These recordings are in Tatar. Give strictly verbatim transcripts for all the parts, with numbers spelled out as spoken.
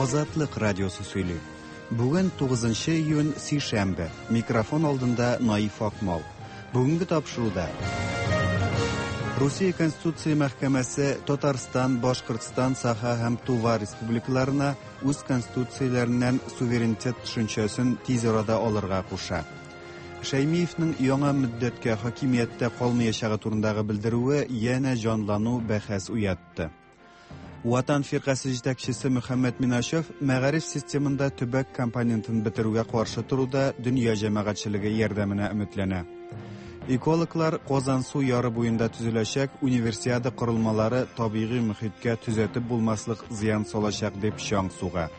Азатлык радиосы сөйли. Бүген тугызынчы июнь, сишәмбе. Микрофон алдында Наиф Акмал. Бүгенге тапшыруда Русия Конституция мәхкәмәсе Татарстан, Башкортстан, Саха һәм Тува республикаларына үз конституцияләреннән суверенитет төшенчәсен тиз арада алырга куша. Шәймиевнең яңа мөддәткә хакимияттә калмаячагы турындагы белдерүе янә җанлану бәхәс уятты. Ватан фиркасе җитәкчесе Мөхәммәт Миначев мәгариф системында төбәк компонентын бетерүгә каршы торуда дөнья җәмәгатьчелеге ярдәменә өметләнә. Экологлар Казансу яры буенда төзеләчәк универсиада корылмалары табигый мөхиткә төзәтеп булмаслык зыян салачак дип чаң суга.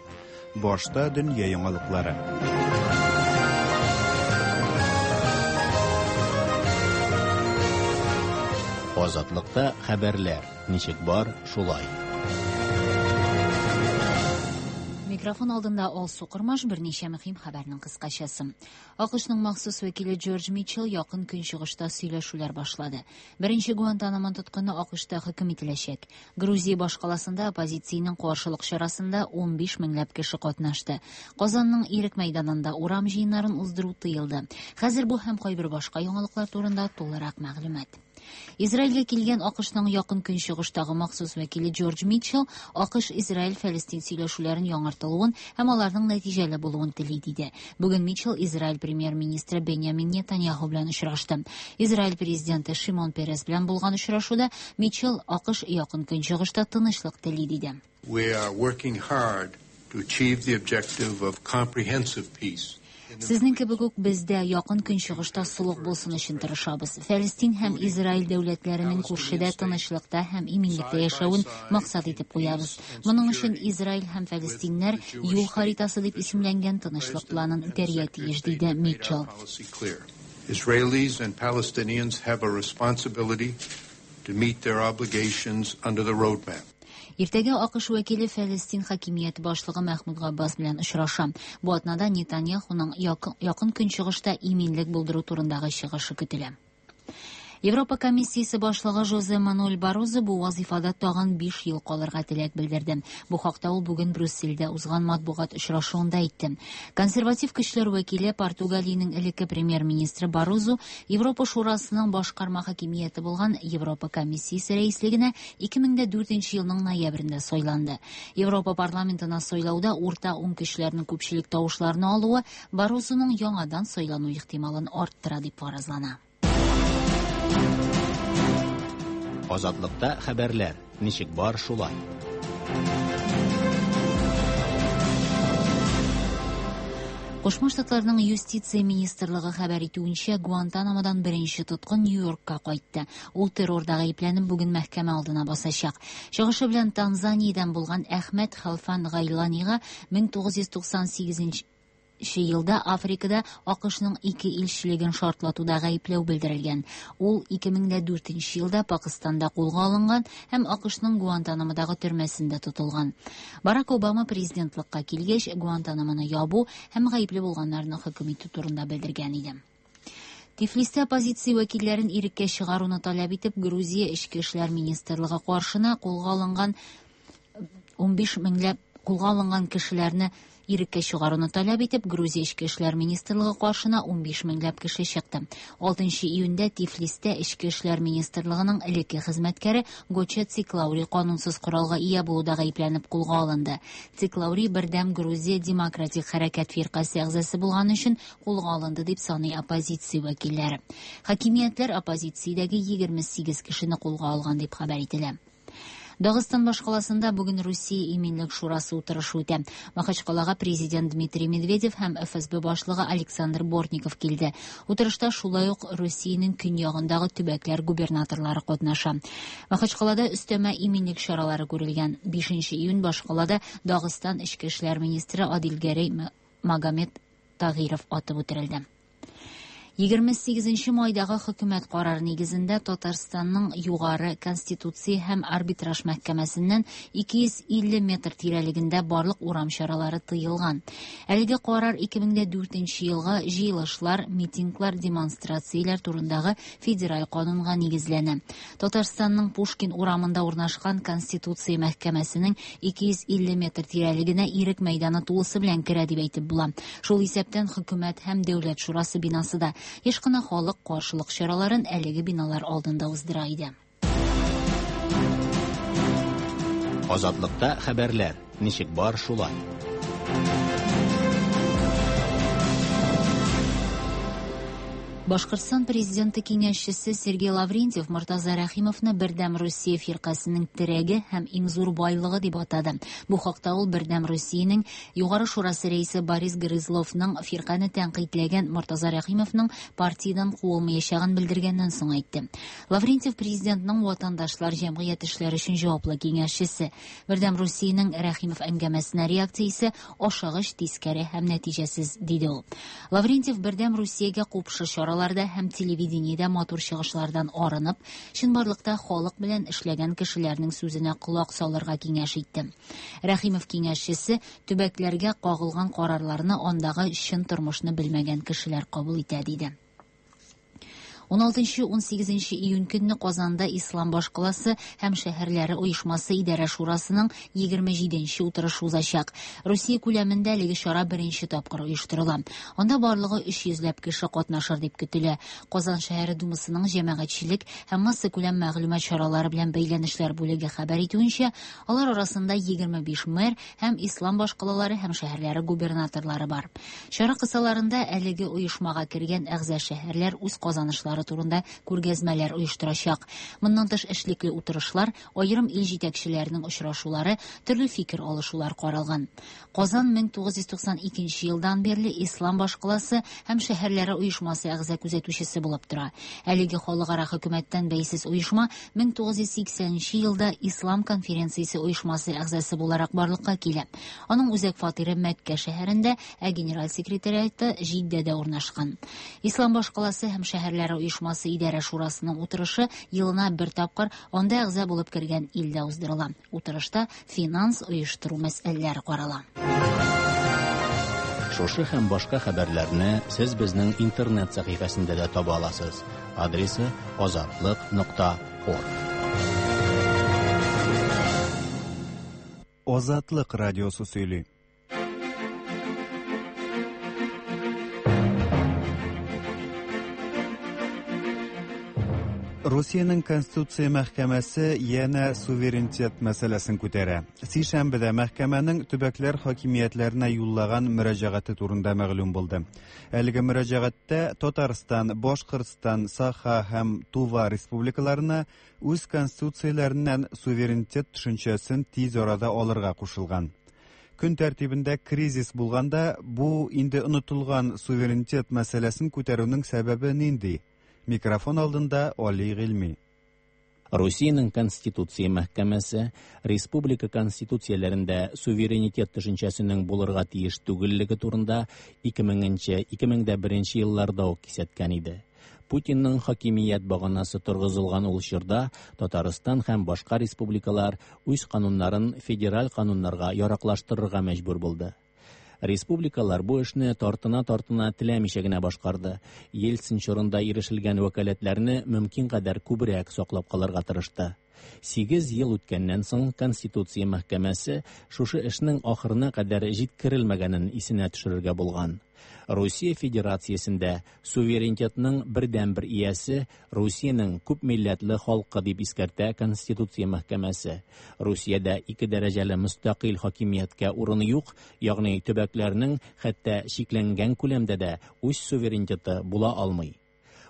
Башта дөнья яңалыклары. Азатлыкта хәбәрләр ничек бар, шулай. Микрофон алдында Алсу Кормаш, берничә мөһим хәбәрнең кыскачасы. АКШның махсус вәкиле Джордж Митчелл якын көнчыгышта сөйләшүләр башлады. Беренче Гуантанамо тоткыны АКШта хөкем ителәчәк. Грузия башкаласында оппозициянең каршылык чарасында ун биш меңләп кеше катнашты. Казанның Ирек мәйданында урам җыеннарын уздыру тыелды. Хәзер бу һәм кайбер башка яңалыклар турында тулырак мәгълүмат. Израильгә килгән АКШның якын көнчыгыштагы махсус вәкиле Джордж Митчелл АКШ-Израиль-Фәлестин сөйләшүләрен яңартылуын һәм аларның нәтиҗәле булуын тели диде. Бүген Митчелл Израиль премьер-министры Беньямин Нетаньяху белән очрашты. Израиль президенты Шимон Перес белән булган очрашуда Митчелл АКШ якын көнчыгышта тынычлык тели диде. We are working hard to achieve the objective of comprehensive peace. Сезнең кебек үк без дә якын көнчыгышта солых булсын өчен тырышабыз. Фәлестин һәм Израиль дәүләтләренең күршедә тынычлыкта һәм иминлектә яшәвен максат итеп куябыз. Моның өчен Израиль һәм Фәлестиннәр юл харитасы дип исемләнгән тынычлык планын үтәргә тиеш, диде Митчелл. Israelis and Palestinians have a responsibility to meet their obligations under the roadmap. Иртәгә АКШ вәкиле Фәлестин хакимияте башлыгы Мәхмүд Габбас белән очраша. Бу атнада Нетаньяхуның якын көнчыгышта иминлек булдыру турындагы чыгышы көтелә. Европа комиссиясе башлыгы Жозе Мануэль Баррозо бу вазифада тагын биш ел калырга теләк белдерде. Бу хакта ул бүген Брюссельдә узган матбугат очрашуында әйтте. Консерватив көчләр вәкиле Португалиянең элекке премьер-министры Баррозо Европа Шурасының башкарма хакимияте булган Европа комиссиясе рәислегенә ике мең дә дүртенче елның ноябрендә сайланды. Европа парламентына сайлауда урта уң көчләрнең күпчелек тавышларын алуы Баррозоның яңадан сайлану ихтималын арттыра дип фаразлана. Азатлыкта хәбәрләр ничек бар, шулай. Кушма Штатларның юстиция министрлыгы хәбәр итүенчә, Гуантанамодан беренче тоткын Нью-Йоркка кайтты. Ул террорда гаепләнеп бүген мәхкәмә алдына басачак. Чыгышы белән Танзаниядән булган Әхмәт Халфан Гайланига мең тугыз йөз туксан сигезенче елда Африкада АКШның ике илчелеген шартлатуда гаепләү белдерелгән. Ул ике мең дә дүртенче елда Пакистанда кулга алынган һәм АКШның Гуантанамодагы төрмәсендә тотылган. Барак Обама президентлыкка килгәч, Гуантанамоны ябу һәм гаепле булганнарны хөкем итү турында белдергән иде. Тифлистә оппозиция вәкилләрен иреккә чыгаруны таләп итеп, Грузия Эчке эшләр министрлыгы каршына кулга алынган ун биш меңләп кулга алынган кешеләрне иреккә чыгаруны таләп итеп, Грузия Эчке эшләр министрлыгы каршына ун биш меңләп кеше чыкты. Алтынчы июньдә Тифлистә Эчке эшләр министрлыгының элекке хезмәткәре Гоча Циклаури канунсыз коралга ия булуда гаепләнеп кулга алынды. Циклаури Бердәм Грузия демократик хәрәкәт фиркасе әгъзасы булган өчен кулга алынды дип саный оппозиция вәкилләре. Хакимиятләр оппозициядәге егерме сигез кешене кулга алган дип хәбәр ителә. Дагыстан башкаласында бүген Русия иминлек шурасы утырышы үтә. Махачкалага президент Дмитрий Медведев һәм Эф Эс Бэ башлыгы Александр Бортников килде. Утырышта шулай ук Русиянең көньягындагы төбәкләр губернаторлары катнаша. Махачкалада өстәмә иминлек чаралары күрелгән. Бишенче июнь башкалада Дагыстан эчке эшләр министры Адилгәрәй Магомед Тагиров атып үтерелде. Егерме сигезенче майдагы хөкүмәт карары нигезендә Татарстанның Югары Конституция һәм Арбитраж мәхкәмәсеннән ике йөз илле метр тирәлегендә барлык урам чаралары тыелган. Әлеге карар ике мең дә дүртенче елгы җыелышлар, митинглар, демонстрацияләр турындагы федераль канунга нигезләнә. Татарстанның Пушкин урамында урнашкан Конституция мәхкәмәсенең ике йөз илле метр тирәлегенә Ирек мәйданы тулысы белән керә дип әйтеп була. Шул исәптән хөкүмәт һәм Дәүләт шурасы бинасы да. Еш кына халык каршылык чараларын әлеге биналар алдында уздыра иде. Азатлыкта хәбәрләр ничек бар шулай. Башкортстан президенты киңәшчесе Сергей Лаврентьев Мортаза Рәхимовны Бердәм Русия фиркасының терәге һәм иң зур байлыгы дип атады. Бу хакта ул Бердәм Русиянең Югары шурасы рәисе Борис Грызловның фирканы тәнкыйтьләгән Мортаза Рәхимовның партиядән куылмаячагын белдергәннән соң әйтте. Лаврентьев президентның ватандашлар җәмгыять эшләре өчен җаваплы киңәшчесе. Бердәм Русиянең Рәхимов әңгәмәсенә реакциясе ашыгыч, тискәре һәм нәтиҗәсез, диде ул. Лаврентьев Бердәм Русиягә купшы чаралар һәм телевидениедә матур чыгышлардан арынып, чынбарлыкта халык белән эшләгән кешеләрнең сүзенә колак салырга киңәш итте. Рәхимов киңәшчесе төбәкләргә кагылган карарларны андагы чын тормышны белмәгән кешеләр кабул итә, диде. ун алтынчы ун сигезенче июнь көнне Казанда Ислам башкаласы һәм шәһәрләре оешмасы идарә шурасының егерме җиденче утырышы узачак. Русия күләмендә әлеге чара беренче тапкыр оештырыла. Анда барлыгы өч йөзләп кеше катнашыр дип көтелә. Казан шәһәре думасының җәмәгатьчелек һәм массакүләм мәгълүмат чаралары белән бәйләнешләр бүлеге хәбәр итүенчә, алар арасында егерме биш мэр һәм ислам башкалалары һәм шәһәрләре губернаторлары бар. Чара кысаларында әлеге оешмага кергән әгъза шәһәрләр үз казанышлары турында күргәзмәләр оештырачак. Моннан тыш эшлекле утырышлар, аерым ил җитәкчеләренең очрашулары, төрле фикер алышулар каралган. Казан мең тугыз йөз туксан икенче елдан бирле Ислам башкаласы һәм шәһәрләре оешмасы әгъза күзәтүчесе булып тора. Әлеге халыкара хөкүмәттән бәйсез оешма мең тугыз йөз сиксәненче елда Ислам конференциясе оешмасы әгъзасы буларак барлыкка килә. Аның үзәк фатиры Мәккә шәһәрендә, ә генераль секретариаты Җиддәдә урнашкан. Ислам башкаласы һәм шәһәрләре оешмасы идарә шурасының утырышы елына бер тапкыр анда әгъза булып кергән илдә уздырыла. Утырышта финанс оештыру мәсьәләләре карала. Шушы һәм башка хәбәрләрне сез безнең интернет сәхифәсендә дә таба аласыз. Адресы азатлык нокта орг. Азатлык радиосы сөйли. Русиянең Конституция мәхкәмәсе янә суверенитет мәсьәләсен күтәрә. Сишәмбедә мәхкәмәнең төбәкләр хакимиятләренә юллаган мөрәҗәгате турында мәгълүм булды. Әлеге мөрәҗәгатьтә Татарстан, Башкортстан, Саха һәм Тува республикаларына үз конституцияләреннән суверенитет төшенчәсен тиз арада алырга кушылган. Көн тәртибендә кризис булганда, бу инде онытылган суверенитет мәсьәләсен күтәрүнең сәбәбе нинди? Микрофон алдында Али Гыйльми. Русиянең Конституция мәхкәмәсе республика конституцияләрендә суверенитет төшенчәсенең булырга тиеш түгеллеге турында ике меңенче, ике мең дә беренче елларда ук кисәткән иде. Путинның хакимият баганасы торгызылган ул чорда Татарстан һәм башка республикалар үз кануннарын федераль кануннарга яраклаштырырга мәҗбүр булды. Республикалар бу эшне тартына-тартына теләмичә генә башкарды. Ельцин чорында ирешелгән вәкаләтләрне мөмкин кадәр күбрәк саклап калырга тырышты. Сигез ел үткәннән соң Конституция мәхкәмәсе шушы эшнең ахырына кадәр җиткерелмәгәнен исенә төшерергә булган. Русия Федерациясендә суверенитетның бердәнбер иясе Русиянең күп милләтле халкы дип искәртә Конституция мәхкәмәсе. Русиядә ике дәрәҗәле мөстәкыйль хакимияткә урын юк, ягъни төбәкләрнең хәтта чикләнгән күләмдә дә үз суверенитеты була алмый.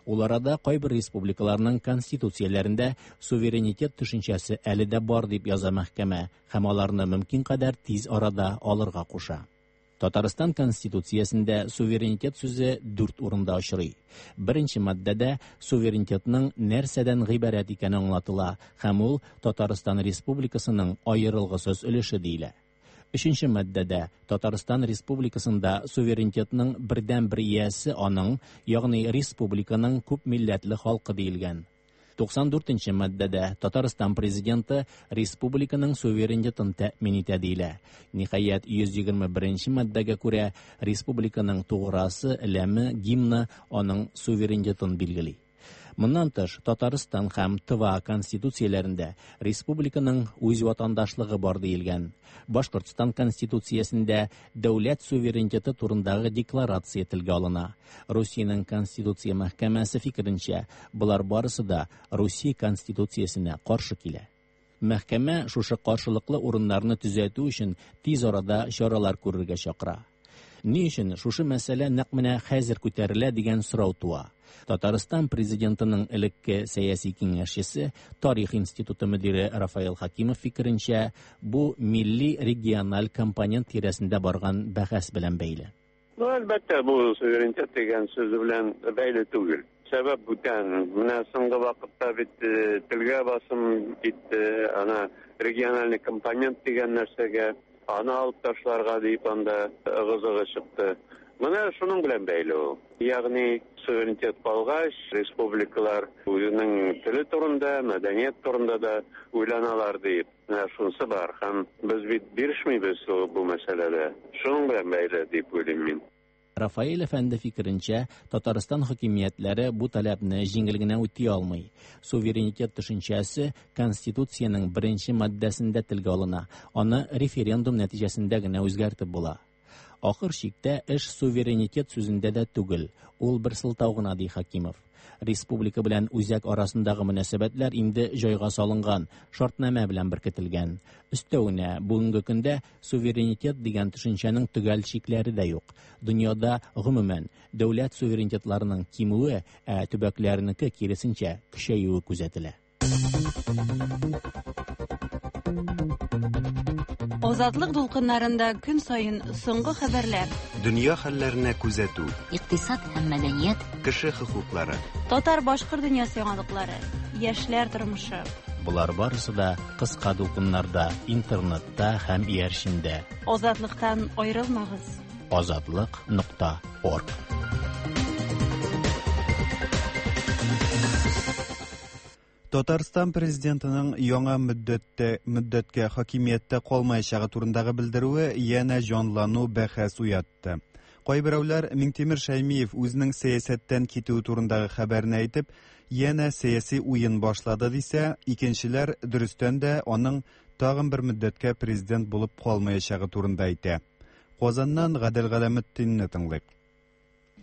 Ул арада кайбер республикаларның конституцияләрендә суверенитет төшенчәсе әле дә бар дип яза мәхкәмә һәм аларны мөмкин кадәр тиз арада алырга куша. Татарстан Конституциясендә суверенитет сүзе дүрт урында очрый. Беренче маддәдә суверенитетның нәрсәдән гыйбарәт икәне аңлатыла һәм ул Татарстан Республикасының аерылгысыз өлеше диелә. Өченче маддәдә Татарстан Республикасында суверенитетның бердәнбер иясе аның, ягъни республиканың күп милләтле халкы диелгән. Туксан дүртенче маддәдә Татарстан президенты республиканың суверенитетын тәэмин итә диелә. Ниһаять, йөз егерме беренче маддәгә күрә республиканың туграсы, ләме, гимны аның суверенитетын билгели. Моннан тыш, Татарстан һәм Тыва конституцияләрендә республиканың үз ватандашлыгы бар диелгән. Башкортстан конституциясендә дәүләт суверенитеты турындагы декларация телгә алына. Русиянең Конституция мәхкәмәсе фикеренчә, болар барысы да Русия конституциясенә каршы килә. Мәхкәмә шушы каршылыклы урыннарны төзәтү өчен тиз арада чаралар күрергә чакыра. Ни өчен шушы мәсьәлә нәкъ менә хәзер күтәрелә дигән сорау туа. Татарстан президентының элекке сәяси киңәшчесе, Тарих институты мөдире Рафаэл Хакимов фикеренчә, бу милли региональ компонент тирәсендә барган бәхәс белән бәйле. Ну, әлбәттә, бу суверенитет дигән сүз белән бәйле түгел. Сәбәп бүтән. Менә соңгы вакытта бит телгә басым китте, ана региональный компонент дигән нәрсәгә аны алып ташларга дип анда ыгы-зыгы чыкты. Менә шуның белән бәйле ул. Ягъни суверенитет калгач, республикалар үзенең теле турында, мәдәният турында да уйланалар дип. Менә шунысы бар. Һәм без бит бирешмибез бу мәсьәләдә. Шуның белән бәйле дип уйлыйм мин. Рафаэль әфәнде фикеренчә, Татарстан хакимиятләре бу таләпне җиңел генә үти алмый. Суверенитет төшенчәсе Конституциянең беренче маддәсендә телгә алына. Аны референдум нәтиҗәсендә генә үзгәртеп була. Ахыр чиктә эш суверенитет сүзендә дә түгел, ул бер сылтау гына, ди Хакимов. Республика белән үзәк арасындагы мөнәсәбәтләр инде җайга салынган, шартнамә белән беркетелгән. Өстәвенә, бүгенге көндә суверенитет дигән төшенчәнең төгәл чикләре дә юк. Дөньяда гомумән дәүләт суверенитетларының кимүе, ә төбәкләрнеке киресенчә көчәюе күзәтелә. Азатлык дулкыннарында көн саен соңгы хәбәрләр, дөнья хәлләренә күзәтү, икътисад һәм мәдәният, кеше хокуклары, татар-башкорт дөньясы яңалыклары, яшьләр тормышы. Болар барысы да кыска дулкыннарда, интернетта һәм иярчендә. Азатлыктан аерылмагыз. Азатлык нокта орг. Татарстан президентының яңа мөддәттә, мөддәткә хакимияттә калмаячагы турындагы белдерүе янә җанлану бәхәс уятты. Кайберәүләр Миңтимер Шәймиев үзенең сәясәттән китүе турындагы хәбәрне әйтеп, янә сәяси уен башлады дисә, икенчеләр дөрестән дә аның тагын бер мөддәткә президент булып калмаячагы турында әйтә. Казаннан Гадел Галәметдинне тыңлыйк.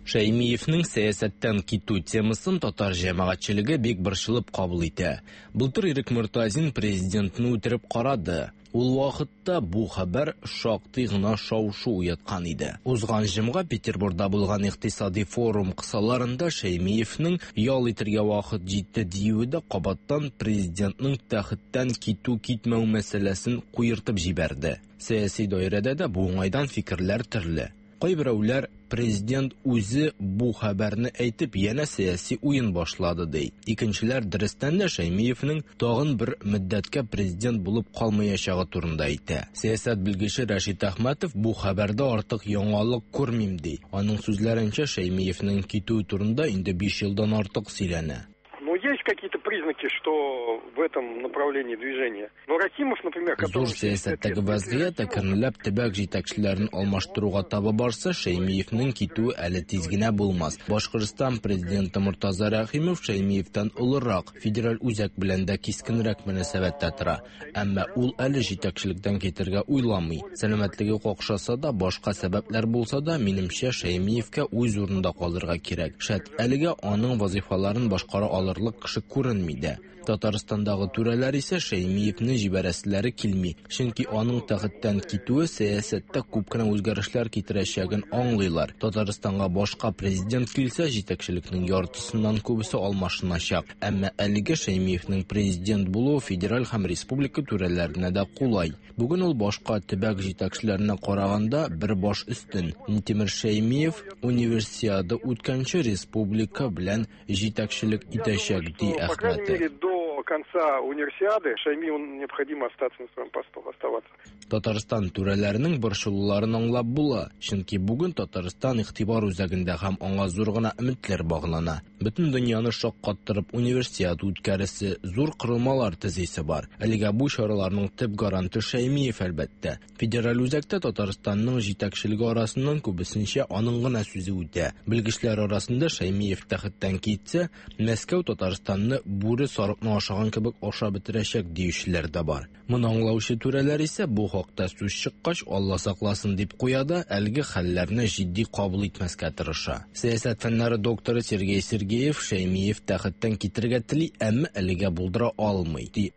Шәймиевнең сәясәттән китү темасын татар җәмәгатьчелеге бик борчылып кабул итә. Былтыр Ирек Мортазин президентны үтереп карады. Ул вакытта бу хәбәр шактый гына шау-шу уяткан иде. Узган җомга Петербургда булган икътисади форум кысаларында Шәймиевнең ял итәргә вакыт җитте диюе дә кабаттан президентның тәхеттән китү-китмәү мәсьәләсен куертып җибәрде. Сәяси даирәдә дә бу уңайдан фикерләр төрле. Кайберәүләр президент үзе бу хәбәрне әйтеп янә сәяси уен башлады ди. Икенчеләр дөрестән дә Шәймиевнең тагын бер мөддәткә президент булып калмаячагы турында әйтә. Сәясәт белгече Рәшит Әхмәтов бу хәбәрдә артык яңалык күрмим ди. Аның сүзләренчә, Шәймиевнең китүе турында инде биш елдан артык сөйләнә. Ну, есть какие-то признаки, что в этом направлении движения. Но Рахимов, например, который... Зур сәясәттәге вазгыять әкренләп төбәк җитәкчеләрен алмаштыруга таба барса, Шәймиевнең китүе әле тиз генә булмас. Башкортстан президенты Мортаза Рәхимов Шәймиевтән олырак, федераль үзәк белән дә кискенрәк мөнәсәбәттә тора. Әмма ул әле җитәкчелектән китәргә уйламый. Сәламәтлеге какшаса да, башка сәбәпләр булса да, минемчә, Шәймиевкә үз урынында калырга кирәк. Шәт, әлегә аның вазифаларын башкара алырлык кеше күренми дә. Татарстандагы түрәләр исә Шәймиевне җибәрәселәре килми, чөнки аның тәхеттән китүе сәясәттә күп кенә үзгәрешләр китерәчәген аңлыйлар. Татарстанга башка президент килсә, җитәкчелекнең яртысыннан күбесе алмашыначак. Әмма әлегә Шәймиевнең президент булуы федераль һәм республика түрәләренә дә кулай. Бүген ул башка төбәк җитәкчеләренә караганда бер баш өстен. Минтимер Шәймиев универсиада үткәнче республика белән җитәкчелек итәчәк, ди Әхмәтов. конца универсиады Шаймиеву необходимо остаться на своем посту, оставаться. Татарстан түрәләренең борчылуларын аңлап була, чөнки бүген Татарстан игътибар үзәгендә һәм аңа зур гына өметләр баглана. Бөтен дөньяны шаккаттырып универсиада үткәресе, зур корылмалар төзисе бар. Әлегә бу чараларның төп гаранты Шаймиев, әлбәттә. Федераль үзәктә Татарстанның җитәкчелеге арасыннан күбесенчә аның гына сүзе үтә. Белгечләр арасында Шаймиев тәхеттән китсә, Мәскәү Татарстанны бүре сарыкны ашаган кебек ашап бетерәчәк диючеләр дә бар. Моны аңлаучы түрәләр исә бу хакта сүз чыккач, Алла сакласын дип куя да, әлеге хәлләрне җитди кабул итмәскә тырыша. Сәясәт фәннәре докторы Сергей Сергеев Шаймиев тәхеттән китергә тели, әмма әлегә булдыра алмый, ди.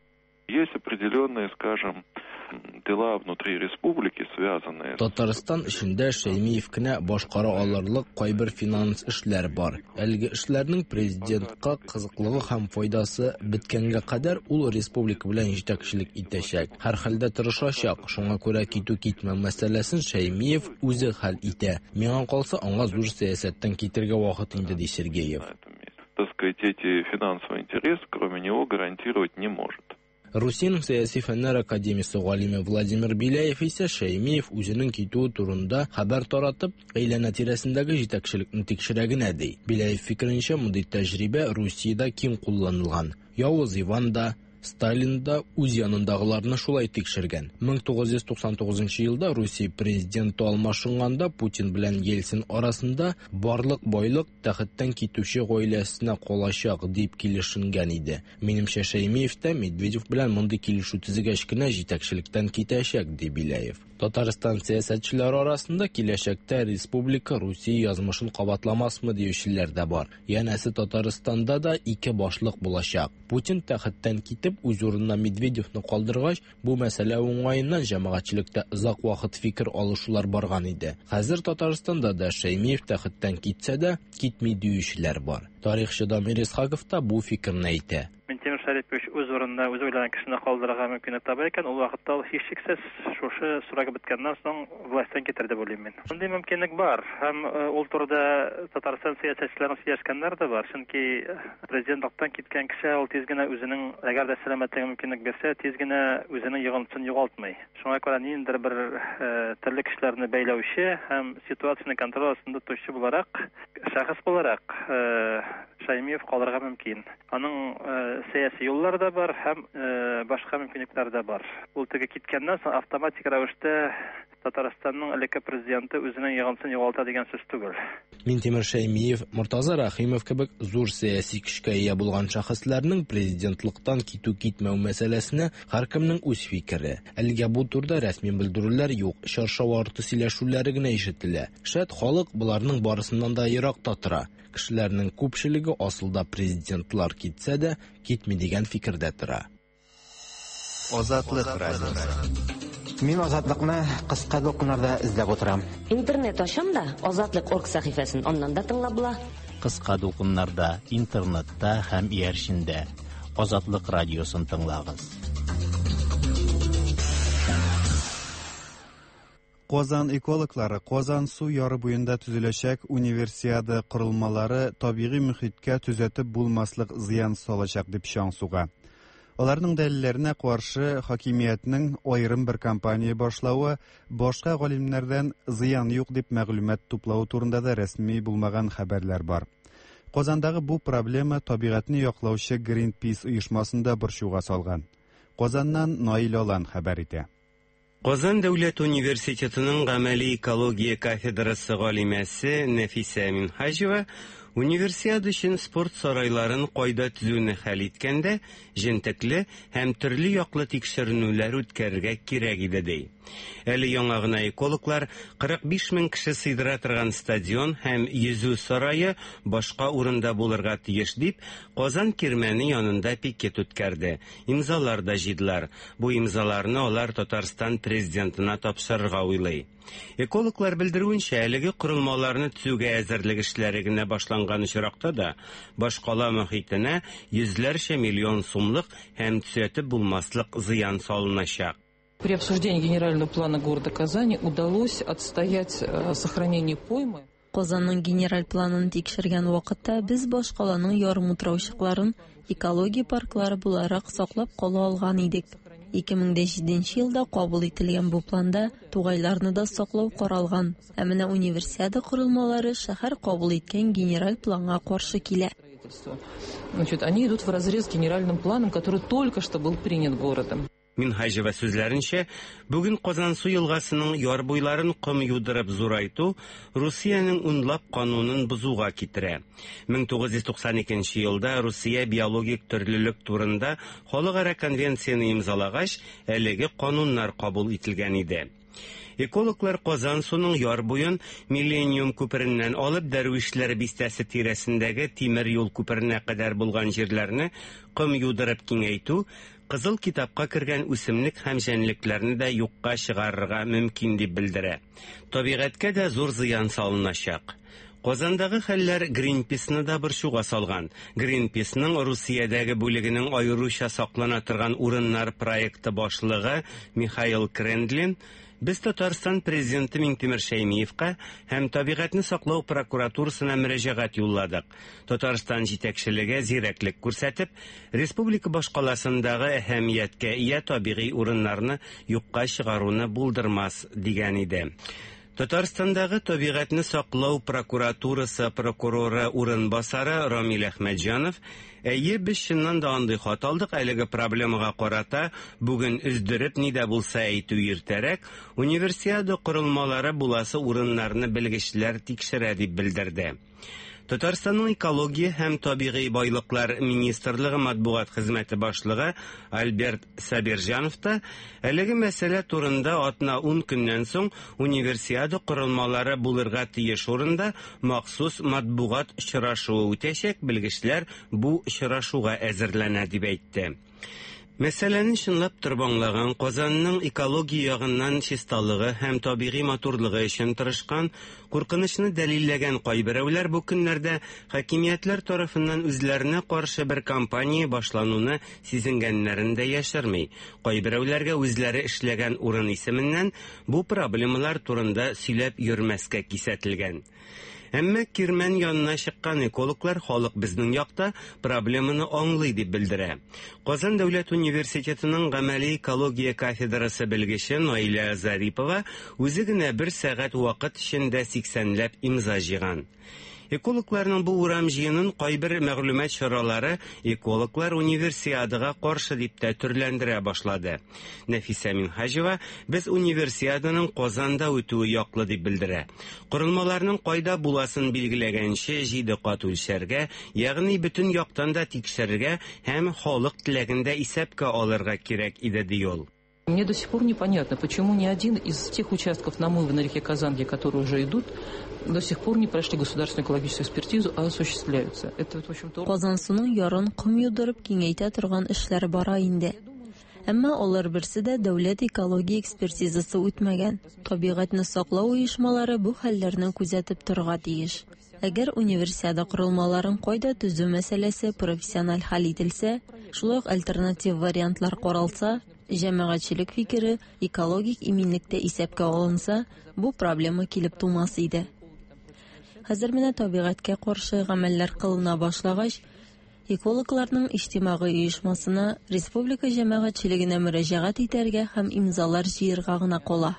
Есть определенные, скажем, дела внутри республики, связанные с Татарстан эчендә Шаймиев кенә башкара алырлык кайбер финанс эшләр бар. Әлеге эшләрнең президентка кызыклыгы һәм файдасы беткәнгә кадәр ул республика белән җитәкчелек итәчәк. Һәр хәлдә тырышачак. Шуңа күрә китү-китмәү мәсьәләсен Шаймиев үзе хәл итә. Миңа калса, аңа зур сәясәттән китергә вакыт инде, ди Сергеев. Так сказать, эти финансовые интересы, кроме него, гарантировать не может. Русиянең сәяси фәннәр академиясе галиме Владимир Беляев исә Шаймиев үзенең китүе турында хәбәр таратып, әйләнә тирәсендәге җитәкчелекне тикшерә генә, ди. Беляев фикеренчә, мондый тәҗрибә Русиядә киң кулланылган. Явыз Иван да, Сталин да үз янындагыларны шулай тикшергән. мең тугыз йөз туксан тугызынчы елда Русия президенты алмашынганда Путин белән Ельцин арасында барлык байлык тәхеттән китүче гаиләсенә калачак дип килешенгән иде. Минемчә, Шаймиев та Медведев белән мондый килешү төзегәч кенә җитәкчелектән китәчәк, ди Беляев. Татарстан сәясәтчеләре арасында киләчәктә республика Русия язмышын кабатламасмы диючеләр дә бар. Янәсе, Татарстанда да ике башлык булачак. Путин тәхеттән китеп үз урынына Медведевны калдыргач, бу мәсьәлә уңаеннан җәмәгатьчелектә озак вакыт фикер алышулар барган иде. Хәзер Татарстанда да Шаймиев тәхеттән китсә дә, китми диючеләр бар. Тарихчы Дамир Исхаков та бу фикерне әйтә. Минтимер Шәрипович үз урынына үзе уйлаган кешене калдырырга мөмкинлек таба икән, ул вакытта ул һичшиксез шушы срогы беткәннән соң властьтан китер дип уйлыйм мин. Мондый мөмкинлек бар һәм, э, ул турыда Татарстан сәясәтчеләренең сөйләшкәннәре дә бар. Чөнки президентлыктан киткән кеше ул тиз генә үзенең, әгәр дә сәламәтлеге мөмкинлек бирсә, тиз генә үзенең йогынтысын югалтмый. Шуңа күрә ниндидер бер, э, төрле кешеләрне бәйләүче һәм ситуацияне контроль астында тотучы буларак, шәхес буларак, э, Шаймиев калырга мөмкин. Аның, э, сәяси юллары да бар һәм, э, башка мөмкинлекләр дә бар. Ул теге киткәннән соң автоматик рәвештә Татарстанның элекке президенты үзенең йогынтысын югалта дигән сүз түгел. Минтимер Шаймиев, Мортаза Рәхимов кебек зур сәяси көчкә ия булган шәхесләрнең президентлыктан китү-китмәү мәсьәләсенә һәркемнең үз фикере. Әлегә бу турыда рәсми белдерүләр юк, чаршау арты сөйләшүләре генә ишетелә. Шәт халык боларның барысыннан да еракта тора. Кешеләрнең күпчелеге асылда президентлар китсә дә, китми дигән фикердә тора. Азатлык радиосы. Мин Азатлыкны кыска дулкыннарда эзләп утырам. Интернет ачам да, Азатлык орг сәхифәсен аннан да тыңлап була. Кыска дулкыннарда, интернетта һәм иярчендә Азатлык радиосын тыңлагыз. Казан экологлары Казан су яры буенда төзеләчәк универсиада корылмалары табигый мөхиткә төзәтеп булмаслык зыян салачак дип чаң суга. Аларның дәлилләренә каршы хакимиятнең аерым бер кампания башлавы, башка галимнәрдән зыян юк дип мәгълүмат туплавы турында да рәсми булмаган хәбәрләр бар. Казандагы бу проблема табигатьне яклаучы Greenpeace оешмасында борчуга салган. Казаннан Наил Алан хәбәр итә. Казан дәүләт университетының гамәли экология кафедрасы галимәсе Нәфисә Минһаҗева универсиада өчен спорт сарайларын кайда төзүне хәл иткәндә җентекле һәм төрле яклы тикшеренүләр үткәрергә кирәк иде, ди. Әле яңа гына экологлар кырык биш мең кеше сыйдыра торган стадион һәм йөзү сарае башка урында булырга тиеш дип Казан кирмәне янында пикет үткәрде. Имзалар да җыйдылар. Бу имзаларны алар Татарстан президентына тапшырырга уйлый. Экологлар белдерүенчә, әлеге корылмаларны төзүгә әзерлек эшләре генә башланган очракта да башкала мөхитенә йөзләрчә миллион сумлык һәм төзәтеп булмаслык зыян салыначак. При обсуждении генерального плана города Казани удалось отстоять, э, сохранение поймы. Казанның генераль планын тикшергән вакытта без башкаланың ярымутраучыкларын экология парклары буларак саклап кала алган идек. ике мең дә җиденче елда кабул ителгән бу планда тугайларны да саклау каралган. Ә менә универсиада корылмалары шәһәр кабул иткән генераль планга каршы килә. Значит, они идут вразрез с генеральным планом, который только что был принят городом. Минһаҗева сүзләренчә, бүген Казансу елгасының яр буйларын ком юдырып зурайту Русиянең унлап канунын бозуга китерә. мең тугыз йөз туксан икенче елда Русия биологик төрлелек турында халыкара конвенцияне имзалагач, әлеге кануннар кабул ителгән иде. Экологлар Казансуның яр буен Миллениум күпереннән алып Дәрвишләр бистәсе тирәсендәге тимер юл күперенә кадәр булган җирләрне ком юдырып киңәйтү Кызыл китапка кергән үсемлек һәм җәнлекләрне дә юкка чыгарырга мөмкин дип белдерә. Табигатькә дә зур зыян салыначак. Казандагы хәлләр Greenpeace-ны да борчуга салган. Greenpeace-ның Русиядәге бүлегенең аеруча саклана торган урыннар проекты башлыгы Михаил Крендлин Без Татарстан президенты Миңтимер Шәймиевка һәм табигатьне саклау прокуратурасына мөрәҗәгать юлладык. Татарстан җитәкчелеге зирәклек күрсәтеп, республика башкаласындагы әһәмияткә ия табигый урыннарны юкка чыгаруны булдырмас дигән иде. Татарстандагы табигатьне саклау прокуратурасы прокуроры урынбасары Рамил Әхмәтҗанов әйе, без чыннан да андый хат алдык, әлеге проблемага карата бүген өздереп ни дә булса әйтү иртәрәк, универсиада корылмалары буласы урыннарны белгечләр тикшерә дип белдерде. Татарстанның экология һәм табигый байлыклар министрлыгы матбугат хезмәте башлыгы Альберт Сабирҗанов та әлеге мәсьәлә турында атна ун көннән соң универсиада корылмалары булырга тиеш урында махсус матбугат очрашуы үтәчәк, белгечләр бу очрашуга әзерләнә дип әйтте. Мәсьәләне чынлап торып аңлаган, Казанның экология ягыннан чисталыгы һәм табигый матурлыгы өчен тырышкан, куркынычны дәлилләгән кайберәүләр бу көннәрдә хакимиятләр тарафыннан үзләренә каршы бер кампания башлануны сизенгәннәрен дә яшерми. Кайберәүләргә үзләре эшләгән урын исеменнән бу проблемалар турында сөйләп йөрмәскә кисәтелгән. Әмма Кирмән янына чыккан экологлар халык безнең якта проблеманы аңлый дип белдерә. Казан дәүләт университетының гамәли экология кафедрасы белгече Наилә Зарипова үзе генә бер сәгать вакыт эчендә сиксәнләп имза җыйган. Экологларның бу урам җыенын кайбер мәгълүмат чаралары экологлар универсиадага каршы дип тә төрләндерә башлады. Нәфисә Минһаҗева без универсиаданың Казанда үтүе яклы дип белдерә. Корылмаларның кайда буласын билгеләгәнче җиде кат үлчәргә, ягъни бөтен яктан да тикшерергә һәм халык теләген дә исәпкә алырга кирәк иде ди ул. Мне до сих пор непонятно, почему ни один из тех участков намыва на реке Казанке, которые уже идут, до сих пор не прошли государственную экологическую экспертизу, а осуществляются. Это вот, в общем-то... Казансуның ярын ком юдырып киңәйтә торган эшләр бара инде. Әмма алар берсе дә дәүләт экология экспертизасы үтмәгән. Табигатьне саклау оешмалары бу хәлләрне күзәтеп торырга тиеш. Әгәр универсиада корылмаларын кайда төзү мәсьәләсе профессиональ хәл ителсә, шулай ук альтернатив вариантлар каралса, җәмәгатьчелек фикере экологик иминлектә исәпкә алынса, бу проблема килеп тумас иде. Хәзер менә табигатькә каршы гамәлләр кылына башлагач, экологларның иҗтимагый оешмасына республика җәмәгатьчелегенә мөрәҗәгать итәргә һәм имзалар җыярга гына кала.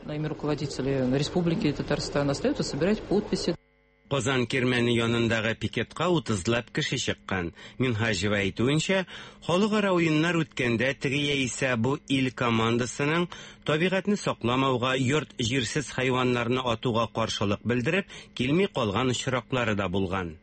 На имя руководителей Республики Татарстан остается собирать подписи. Казан Кирмәне янындагы пикетка утызлап кеше чыккан. Минһаҗева әйтүенчә, халыкара уеннар үткәндә теге яисә бу ил командасының табигатьне сакламауга, йорт җирсез хайваннарны атуга каршылык белдереп, килми калган очраклары да булган.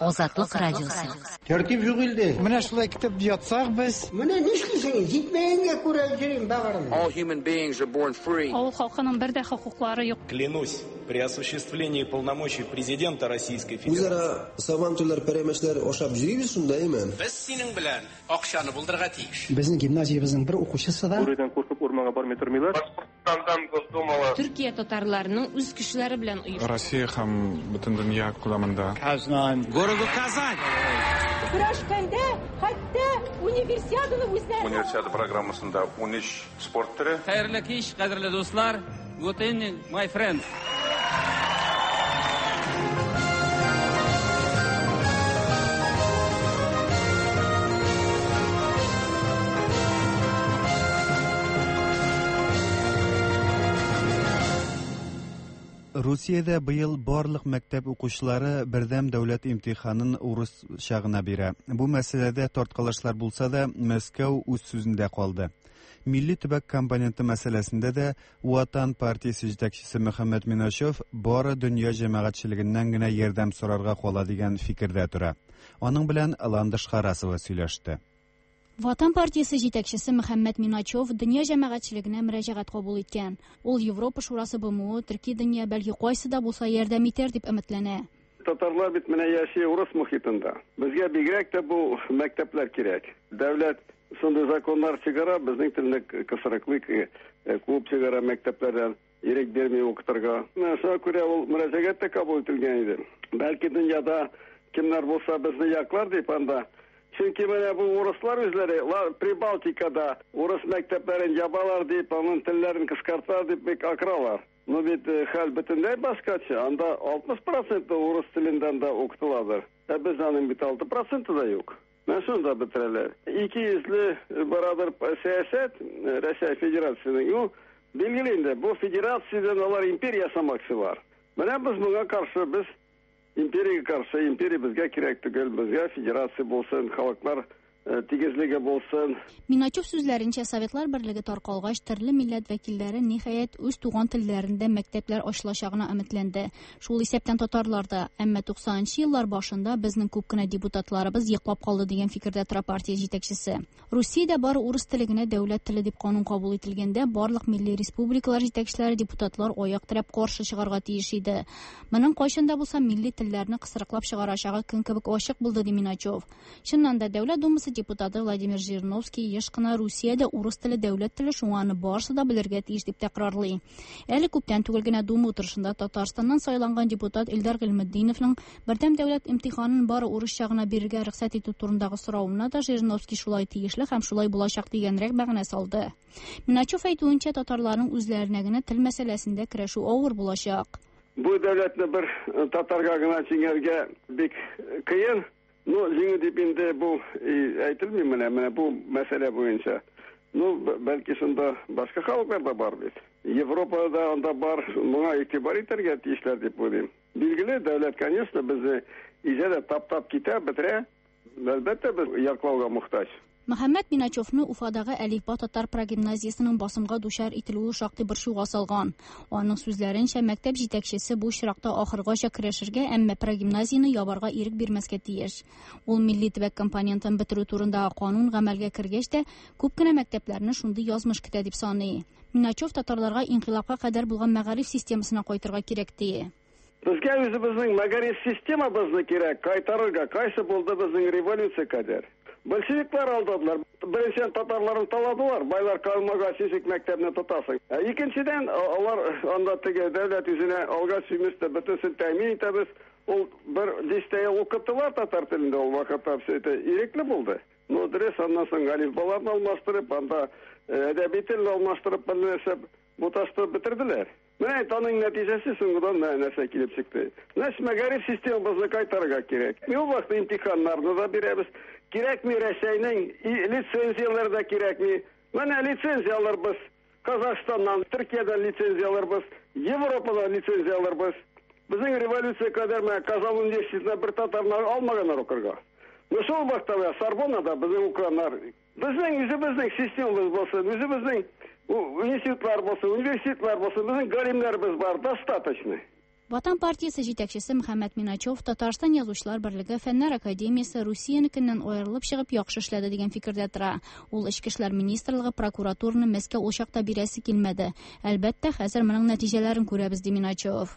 Азатлык радиосы. Тәртип юк илдә. Менә шулай китеп ятсак без. Менә нишлисең? Җитмәгәнгә күрә йөрим багырым. All human beings are born free. Авыл халкының бер дә хокуклары юк. Клянусь при осуществлении полномочий президента Российской Федерации. Үзара сабантуйлар, пәрәмәчләр ашап йөрибез шунда, әйме? Без синең белән акчаны булдырырга тиеш. Безнең гимназиябезнең бер укучысы да Бүредән куркып урманга бармый тормыйлар. Башкортстандан Госдумала. Төркия татарларының үз кешеләре белән оешты. Россия һәм бөтен дөнья күләмендә. Казан. Городу Казань. Көрәшкәндә хәтта Универсиаданы үзләре. Универсиада программасында ун өч спорт төре. Хәерле кич, кадерле дуслар. Good evening, my friends. Русиядә быел барлык мәктәп укучылары бердәм дәүләт имтиханын урысча гына бирә. Бу мәсьәләдә тарткалашлар булса да, Мәскәү үз сүзендә калды. Милли төбәк компоненты мәсьәләсендә дә Ватан партиясе җитәкчесе Мөхәммәт Миначев бары дөнья җәмәгатьчелегеннән генә ярдәм сорарга кала дигән фикердә тора. Аның белән Ландыш Харасова сөйләште. Ватан партиясе җитәкчесе Мөхәммәт Миначев дөнья җәмәгатьчелегенә мөрәҗәгать кабул иткән. Ул Европа шурасы Б М О, Төрки дөнья бәлки кайсы да булса ярдәм итәр дип өметләнә. Татарлар бит менә яши урыс мохитында. Безгә бигрәк тә бу мәктәпләр кирәк. Дәүләт шундый законнар чыгара, безнең телне кысрыклый, куып чыгара мәктәпләрдән, ирек бирми укытырга. Менә шуңа күрә ул мөрәҗәгать тә кабул ителгән иде. Бәлки дөньяда кемнәр булса безне яклар дип анда. Чөнки менә бу урыслар үзләре Прибалтикада урыс мәктәпләрен ябалар дип, аның телләрен кыскарталар дип бик акыралар. Но бит хәл бөтенләй башкача. Анда алтмыш процент урыс телендән дә укытыладыр. Ә без аның бит алты проценты да юк. Менә шунда бетерәләр. Ике йөзле барадыр сәясәт Россия Федерациясенең. Ул билгеле инде, бу федерациядән алар империя ясамакчылар. Менә без моңа каршы, без империяга каршы, империя безгә кирәк түгел, безгә федерация булсын, халыклар тигезлеге булсын. Миначев сүзләренчә, Советлар берлеге таркалгач, төрле милләт вәкилләре ниһаять үз туган телләрендә мәктәпләр ачылачагына өметләнде. Шул исәптән татарлар да. Әмма туксанынчы еллар башында безнең күп кенә депутатларыбыз йоклап калды дигән фикердә тора партия җитәкчесе. Русиядә бары урыс теле генә дәүләт теле дип канун кабул ителгәндә, барлык милли республикалар җитәкчеләре депутатлар аяк терәп каршы чыгарга тиеш иде. Моның кайчан да булса милли телләрне кысрыклап чыгарачагы көн кебек ачык булды, ди Миначев. Чыннан да, Дәүләт Думасы депутаты Владимир Жириновский еш кына Русиядә урыс теле дәүләт теле, шуңа аны барысы да белергә тиеш дип тәкрарлый. Әле күптән түгел генә Дума утырышында Татарстаннан сайланган депутат Илдар Гыйльметдиновның бердәм дәүләт имтиханын бары урысча гына бирергә рөхсәт итү турындагы соравына да Жириновский шулай тиешле һәм шулай булачак дигәнрәк мәгънә салды. Миначев әйтүенчә, татарларның үзләренә генә тел мәсьәләсендә көрәшү авыр булачак. Бу дәүләтне бер татарга гына җиңәргә бик кыен. Ну, җиңү дип инде бу әйтелми менә, менә бу мәсьәлә буенча. Ну, бәлки шунда башка халыклар да бар бит. Европада анда бар, моңа игътибар итәргә тиешләр дип уйлыйм. Билгеле, дәүләт, конечно, безне изә дә таптап китә, бетерә. Әлбәттә, без яклауга мохтаҗ. Мөхәммәт Миначевны Уфадагы Әлифба татар прогимназиясенең басымга дучар ителүе шактый борчуга салган. Аның сүзләренчә, мәктәп җитәкчесе бу очракта ахыргача көрәшергә, әмма прогимназияне ябарга ирек бирмәскә тиеш. Ул милли төбәк компонентын бетерү турындагы канун гамәлгә кергәч тә, күп кенә мәктәпләрне шундый язмыш көтә дип саный. Миначев татарларга инкыйлабка кадәр булган мәгариф системасына кайтырга кирәк ди. Безгә үзебезнең мәгариф системабызны кирәк кайтарырга, кайсы булды безнең революция кадәр. Большевиклар алдадылар. Беренчедән татарларны таладылар, байлар калмагач ничек мәктәпне тотасың. Ә икенчедән алар анда теге дәүләт үзенә алгач сүместә бөтенсен тәэмин итәбез. Ул бер дистә ел укыттылар татар телендә, ул вакытта все это ирекле булды. Но дөрес, аннан соң әлифбаларны алмаштырып, анда әдәби телне алмаштырып, бер нәрсә буташтырып бетерделәр. Менә аның нәтиҗәсе соңгыдан нәрсә килеп чыкты. Значит, мәгариф системабызны кайтарырга кирәк. Ул вакытта имтиханнарны да бирәбез. Кирәкми Рәсәйнең лицензияләре дә кирәкми. Менә лицензия алырбыз. Казахстаннан, Төркиядән лицензия алырбыз, Европадан лицензия алырбыз. Безнең революция кадәр менә Казан университетына бер татарны алмаганнар укырга. Но шул вакытта Сорбоннада безнең укыганнар. Безнең үзебезнең системабыз булсын, үзебезнең институтлар булсын, университетлар булсын, безнең галимнәребез бар, достаточно. Ватан партиясе җитәкчесе Мөхәммәт Миначев Татарстан Язучылар берлеге Фәннәр академиясе Русиянекеннән аерылып чыгып яхшы эшләде дигән фикердә тора. Ул Эчке эшләр министрлыгы прокуратураны Мәскәү ул чакта бирәсе килмәде. Әлбәттә, хәзер моның нәтиҗәләрен күрәбез, ди Миначев.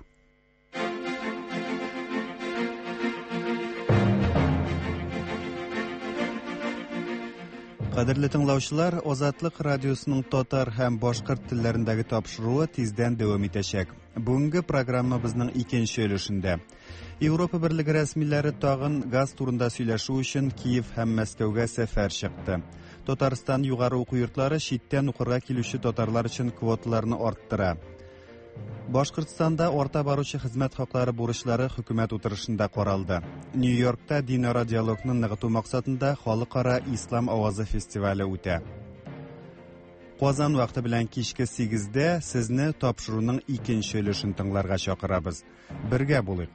Кадерле тыңлаучылар, Азатлык радиосының татар һәм башкорт телләрендәге тапшыруы тиздән дәвам итәчәк. Бүгенге программабызның икенче өлешендә Европа Берлеге рәсмиләре тагын газ турында сөйләшү өчен Киев һәм Мәскәүгә сәфәр чыкты. Татарстан югары уку йортлары читтән укырга килүче татарлар өчен квоталарны арттыра. Башкортстанда арта баручы хезмәт хаклары бурычлары хөкүмәт утырышында каралды. Нью-Йоркта динара диалогны ныгыту максатында халыкара Ислам авазы фестивале үтә. Казан вакыты белән кичке сигездә сезне тапшыруның икенче өлешен тыңларга чакырабыз. Бергә булыйк.